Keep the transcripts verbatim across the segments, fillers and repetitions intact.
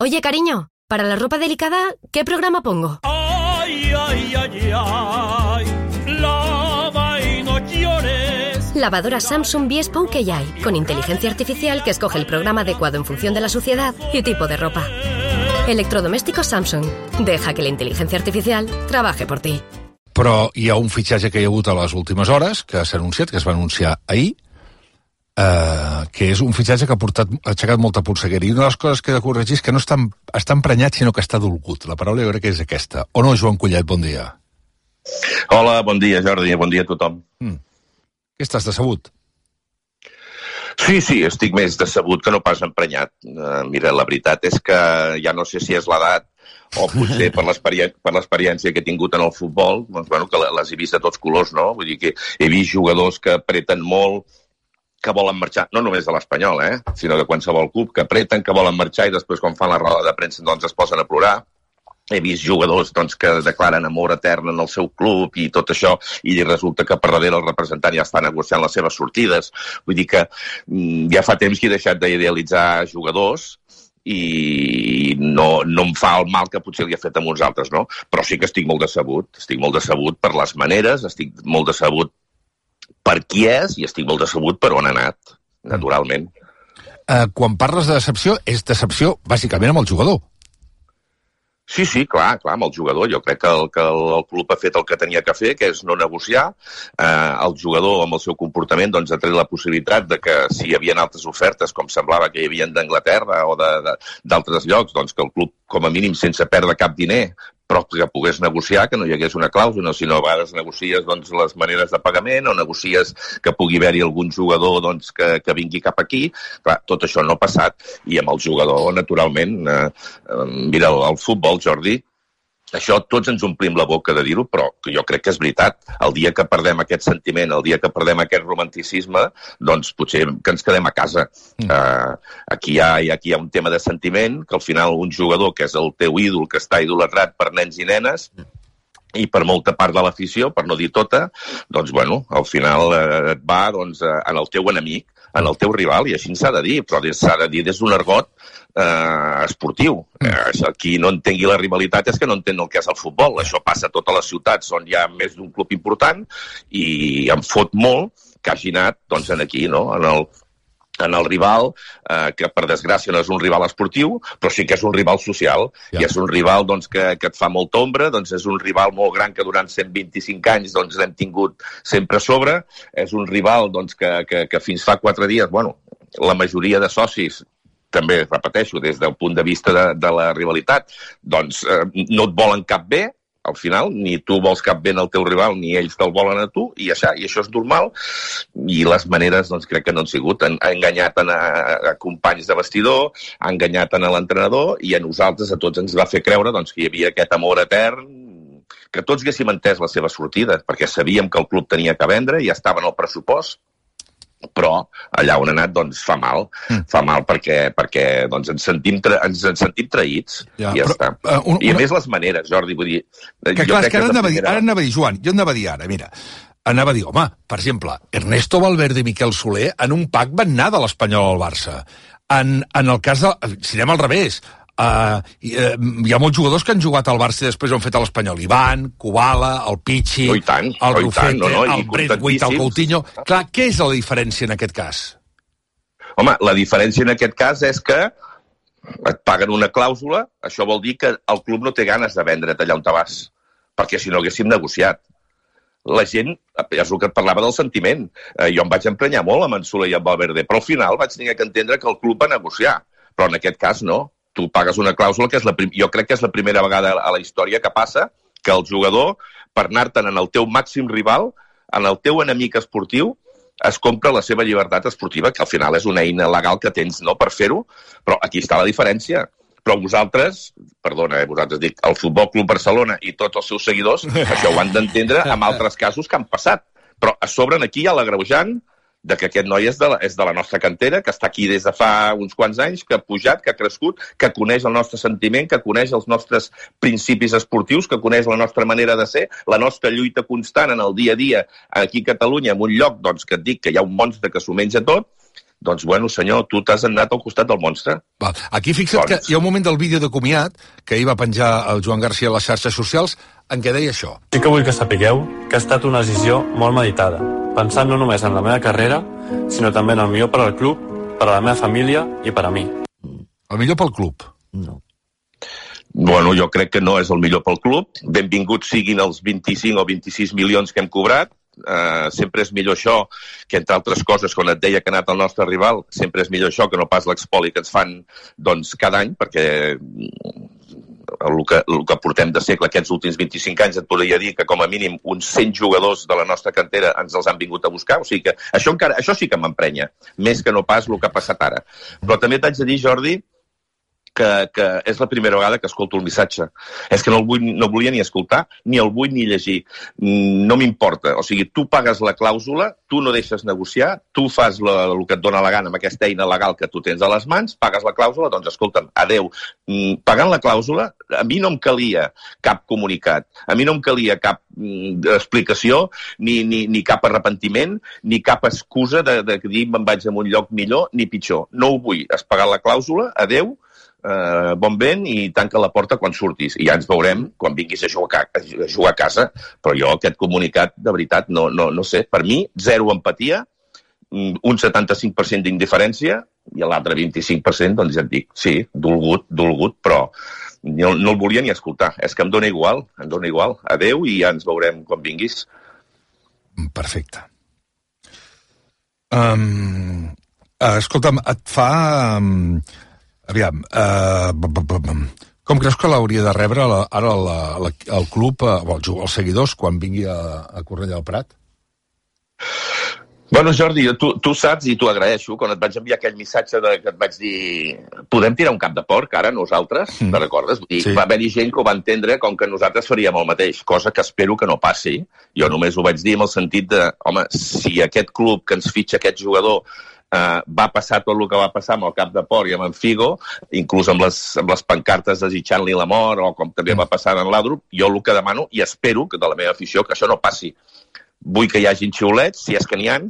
Oye, cariño, para la ropa delicada, ¿qué programa pongo? Ay, ay, ay, ay, lava y no llores. Lavadora Samsung Viespo que ya hay, con inteligencia artificial que escoge el programa adecuado en función de la suciedad y tipo de ropa. Electrodomésticos Samsung. Deja que la inteligencia artificial trabaje por ti. Però hi ha un fitxatge que hi ha hagut a les últimes hores, que s'ha anunciat, que es va anunciar ahir, Uh, que és un fitxatge que ha, portat, ha aixecat molta polseguera. I una de les coses que he de corregir és que no està, està emprenyat, sinó que està dolgut. La paraula jo crec que és aquesta. O no, Joan Collet, bon dia. Hola, bon dia, Jordi, bon dia a tothom. Mm. Què estàs, decebut? Sí, sí, estic més decebut que no pas emprenyat. Uh, mira, la veritat és que ja no sé si és l'edat o potser per l'experiència que he tingut en el futbol, doncs, bueno, que les he vist de tots colors, no? Vull dir que he vist jugadors que apreten molt, que volen marxar, no només de l'Espanyol, eh, sinó de qualsevol club, que apreten, que volen marxar i després quan fan la roda de premsa doncs es posen a plorar. He vist jugadors doncs, que declaren amor etern en el seu club i tot això, i resulta que per darrere el representant ja està negociant les seves sortides. Vull dir que mm, ja fa temps que he deixat d'idealitzar jugadors i no, no em fa el mal que potser li ha fet a uns altres, no? Però sí que estic molt decebut, estic molt decebut per les maneres, estic molt decebut per qui és i estic molt decebut per on ha anat, naturalment. Uh, quan parles de decepció, és decepció bàsicament amb el jugador. Sí, sí, clar, clar, amb el jugador. Jo crec que el, que el, el club ha fet el que tenia que fer, que és no negociar. Eh, el jugador, amb el seu comportament, doncs, ha tret la possibilitat de que si hi havia altres ofertes, com semblava que hi havia d'Anglaterra o d'altres llocs, doncs que el club, com a mínim, sense perdre cap diner, però que pogués negociar, que no hi hagués una clàusula, sinó a vegades negocies doncs, les maneres de pagament o negocies que pugui haver-hi algun jugador doncs, que, que vingui cap aquí. Clar, tot això no ha passat i amb el jugador, naturalment, eh, eh, mira, el, el futbol, Jordi, això tots ens omplim la boca de dir-ho, però jo crec que és veritat. El dia que perdem aquest sentiment, el dia que perdem aquest romanticisme, doncs potser que ens quedem a casa. Mm. Uh, aquí, hi ha, aquí hi ha un tema de sentiment, que al final un jugador que és el teu ídol, que està idolatrat per nens i nenes, i per molta part de l'afició, per no dir tota, doncs, bueno, al final eh, et va doncs, en el teu enemic, en el teu rival, i així s'ha de dir, però s'ha de dir des d'un argot eh, esportiu. Eh, qui no entengui la rivalitat és que no entén el que és el futbol. Això passa a totes les ciutats on hi ha més d'un club important i em fot molt que hagi anat doncs, en aquí, no? en el en el rival, eh, que per desgràcia no és un rival esportiu, però sí que és un rival social, ja. I és un rival doncs, que, que et fa molta ombra, doncs és un rival molt gran que durant cent vint-i-cinc anys doncs, l'hem tingut sempre a sobre, és un rival doncs, que, que, que fins fa quatre dies, bueno, la majoria de socis, també repeteixo, des del punt de vista de, de la rivalitat, doncs eh, no et volen cap bé, al final, ni tu vols cap bé al teu rival, ni ells te'l volen a tu, i això, i això és normal, i les maneres, doncs, crec que no han sigut. Han, ha enganyat a, a companys de vestidor, ha enganyat a l'entrenador, i a nosaltres, a tots, ens va fer creure doncs, que hi havia aquest amor etern, que tots haguéssim entès la seva sortida, perquè sabíem que el club tenia que vendre, i ja estava en el pressupost, però allà on ha anat doncs fa mal, mm. fa mal perquè, perquè doncs, ens, sentim tra ens, ens sentim traïts ja, i ja però, està. Uh, un, I a una... més les maneres, Jordi, vull dir... Que, jo clar, crec que ara, que anava primera... dir, ara anava a dir, Joan, jo anava a dir ara, mira, anava a dir, home, per exemple, Ernesto Valverde i Miquel Soler en un pack van anar de l'Espanyol al Barça. En, en el cas de... Si anem al revés, Uh, hi, uh, hi ha molts jugadors que han jugat al Barça i després han fet a l'Espanyol. Ivan, Kubala, el Pichi, oh, tant, el oh, Rufete, no, no, el Braithwaite, el Coutinho. Clar, què és la diferència en aquest cas? Home, la diferència en aquest cas és que et paguen una clàusula, això vol dir que el club no té ganes de vendre't allà on te vas, perquè si no haguéssim negociat. La gent, és el que et parlava del sentiment, eh, jo em vaig emprenyar molt amb en Soler i amb Valverde, però al final vaig tenir que entendre que el club va negociar, però en aquest cas no. Tu pagues una clàusula que és la prim... jo crec que és la primera vegada a la història que passa que el jugador, per anar-te'n en el teu màxim rival, en el teu enemic esportiu, es compra la seva llibertat esportiva, que al final és una eina legal que tens no per fer-ho, però aquí està la diferència. Però vosaltres, perdona, eh, vosaltres dic, el Futbol Club Barcelona i tots els seus seguidors, això ho han d'entendre amb altres casos que han passat. Però a sobre aquí hi ha l'agreujant de que aquest noi és de, la, és de la nostra cantera, que està aquí des de fa uns quants anys, que ha pujat, que ha crescut, que coneix el nostre sentiment, que coneix els nostres principis esportius, que coneix la nostra manera de ser, la nostra lluita constant en el dia a dia aquí a Catalunya, en un lloc doncs, que et dic que hi ha un monstre que s'ho menja tot, doncs, bueno, senyor, tu t'has anat al costat del monstre. Va. Aquí fixa't doncs... que hi ha un moment del vídeo de comiat que ahir va penjar el Joan Garcia a les xarxes socials en què deia això. Sí que vull que sapigueu que ha estat una decisió molt meditada, pensant no només en la meva carrera, sinó també en el millor per al club, per a la meva família i per a mi. El millor pel club? No. Bueno, jo crec que no és el millor pel club. Benvinguts siguin els vint-i-cinc o vint-i-sis milions que hem cobrat. Uh, sempre és millor això que, entre altres coses, quan et deia que ha anat el nostre rival, sempre és millor això que no pas l'expoli que ens fan doncs, cada any, perquè el que, el que portem de segle aquests últims vint-i-cinc anys et podria dir que com a mínim uns cent jugadors de la nostra cantera ens els han vingut a buscar, o sigui que això, encara, això sí que m'emprenya, més que no pas el que ha passat ara. Però també t'haig de dir, Jordi, Que, que és la primera vegada que escolto el missatge. És que no el vull, no volia ni escoltar, ni el vull ni llegir. No m'importa. O sigui, tu pagues la clàusula, tu no deixes negociar, tu fas la, el que et dóna la gana amb aquesta eina legal que tu tens a les mans, pagues la clàusula, doncs escolta'm, adeu. Pagant la clàusula, a mi no em calia cap comunicat, a mi no em calia cap mm, explicació, ni, ni, ni cap arrepentiment, ni cap excusa de, de dir me'n vaig a un lloc millor ni pitjor. No ho vull. Has pagat la clàusula, adeu, Uh, bon vent i tanca la porta quan surtis i ja ens veurem quan vinguis a jugar a, a, jugar a casa, però jo aquest comunicat de veritat no, no, no sé, per mi zero empatia, un setanta-cinc per cent d'indiferència i l'altre vint-i-cinc per cent doncs ja et dic, sí, dolgut, dolgut, però no, no el volia ni escoltar, és que em dóna igual, em dóna igual, adeu i ja ens veurem quan vinguis. Perfecte. Um, uh, escolta'm, et fa... Um... Aviam, uh, com creus que l'hauria de rebre la, ara la, la, el club, uh, els, els seguidors, quan vingui a, a Cornellà del Prat? Bueno, Jordi, tu, tu saps i t'ho agraeixo, quan et vaig enviar aquell missatge de, que et vaig dir podem tirar un cap de porc ara nosaltres, mm. te'n recordes? Vull dir, sí. Va haver-hi gent que ho va entendre com que nosaltres faríem el mateix, cosa que espero que no passi. Jo només ho vaig dir amb el sentit de, home, si aquest club que ens fitxa aquest jugador Uh, va passar tot el que va passar amb el cap de porc i amb en Figo, inclús amb les, amb les pancartes desitjant-li la mort, o com també va passar en l'Adrup, jo el que demano, i espero que de la meva afició, que això no passi. Vull que hi hagi xiulets, si és que n'hi ha,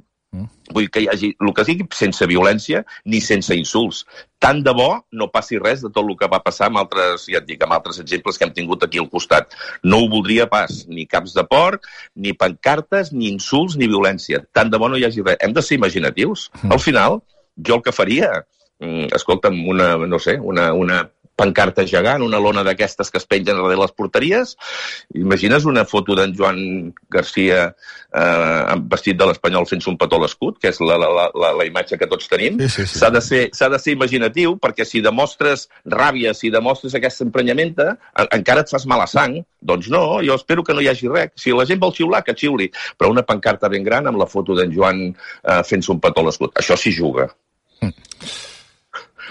vull que hi hagi el que sigui sense violència ni sense insults. Tant de bo no passi res de tot el que va passar amb altres, ja et dic, amb altres exemples que hem tingut aquí al costat. No ho voldria pas, ni caps de porc, ni pancartes, ni insults, ni violència. Tant de bo no hi hagi res. Hem de ser imaginatius. Al final, jo el que faria, escolta'm, una, no sé, una, una pancarta gegant, una lona d'aquestes que es pengen darrere les porteries. Imagines una foto d'en Joan Garcia eh, vestit de l'Espanyol fent-se un petó a l'escut, que és la, la, la, la imatge que tots tenim. Sí, sí, sí. S'ha de ser, s'ha de ser imaginatiu, perquè si demostres ràbia, si demostres aquesta emprenyamenta, encara et fas mala sang. Doncs no, jo espero que no hi hagi res. Si la gent vol xiular, que xiuli. Però una pancarta ben gran amb la foto d'en Joan eh, fent-se un petó a l'escut. Això s'hi juga. Mm.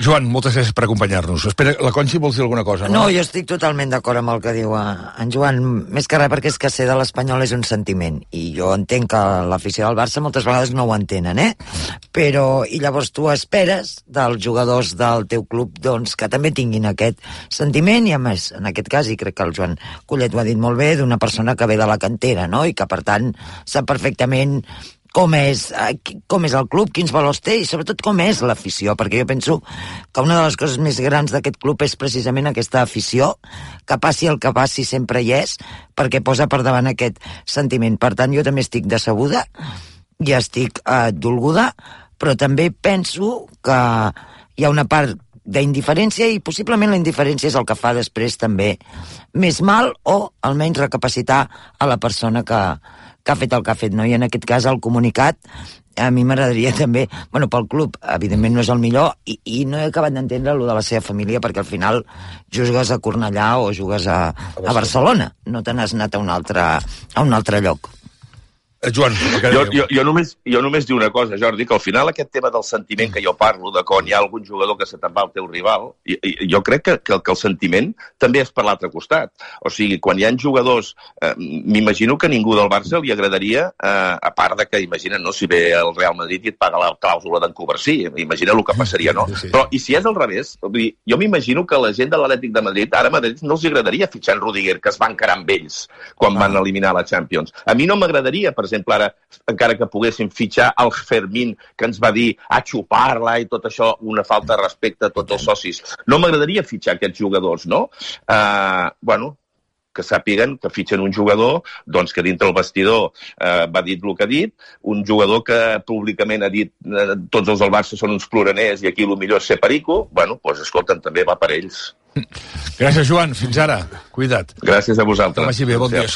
Joan, moltes gràcies per acompanyar-nos. Espera, la Conxi vols dir alguna cosa, no? No, jo estic totalment d'acord amb el que diu en Joan, més que res perquè és que ser de l'Espanyol és un sentiment, i jo entenc que l'afició del Barça moltes vegades no ho entenen, eh? Però, i llavors tu esperes dels jugadors del teu club, doncs, que també tinguin aquest sentiment, i a més, en aquest cas, i crec que el Joan Collet ho ha dit molt bé, d'una persona que ve de la cantera, no?, i que, per tant, sap perfectament com és, com és el club, quins valors té i sobretot com és l'afició, perquè jo penso que una de les coses més grans d'aquest club és precisament aquesta afició, que passi el que passi sempre hi és, perquè posa per davant aquest sentiment. Per tant, jo també estic decebuda i estic eh, dolguda, però també penso que hi ha una part d'indiferència i possiblement la indiferència és el que fa després també més mal o almenys recapacitar a la persona que que ha fet el que ha fet, no? I en aquest cas el comunicat a mi m'agradaria també, bueno, pel club evidentment no és el millor, i, i no he acabat d'entendre allò de la seva família, perquè al final jugues a Cornellà o jugues a, a Barcelona, no te n'has anat a un altre, a un altre lloc. Joan, jo, jo, jo, només, jo només dic una cosa, Jordi, que al final aquest tema del sentiment que jo parlo, de quan hi ha algun jugador que se te'n va al teu rival, i, i, jo crec que, que, que el sentiment també és per l'altre costat. O sigui, quan hi ha jugadors, eh, m'imagino que ningú del Barça li agradaria, eh, a part de que, imagina't, no, si ve el Real Madrid i et paga la clàusula d'en Covarsí, imagina el que passaria, no? Sí, sí. Però, i si és al revés, vull dir, jo m'imagino que la gent de l'Atlètic de Madrid, ara a Madrid no els agradaria fitxar en Rudiger, que es va encarar amb ells quan ah. van eliminar la Champions. A mi no m'agradaria, per exemple, ara, encara que poguéssim fitxar el Fermín, que ens va dir a xupar-la i tot això, una falta de respecte a tots els socis. No m'agradaria fitxar aquests jugadors, no? Uh, bueno, que sàpiguen que fitxen un jugador doncs, que dintre el vestidor eh, va dir el que ha dit, un jugador que públicament ha dit eh, tots els del Barça són uns ploraners i aquí el millor és ser perico, bueno, doncs escolten, també va per ells. Gràcies, Joan. Fins ara. Cuida't. Gràcies a vosaltres. Que vagi bé, bon dia.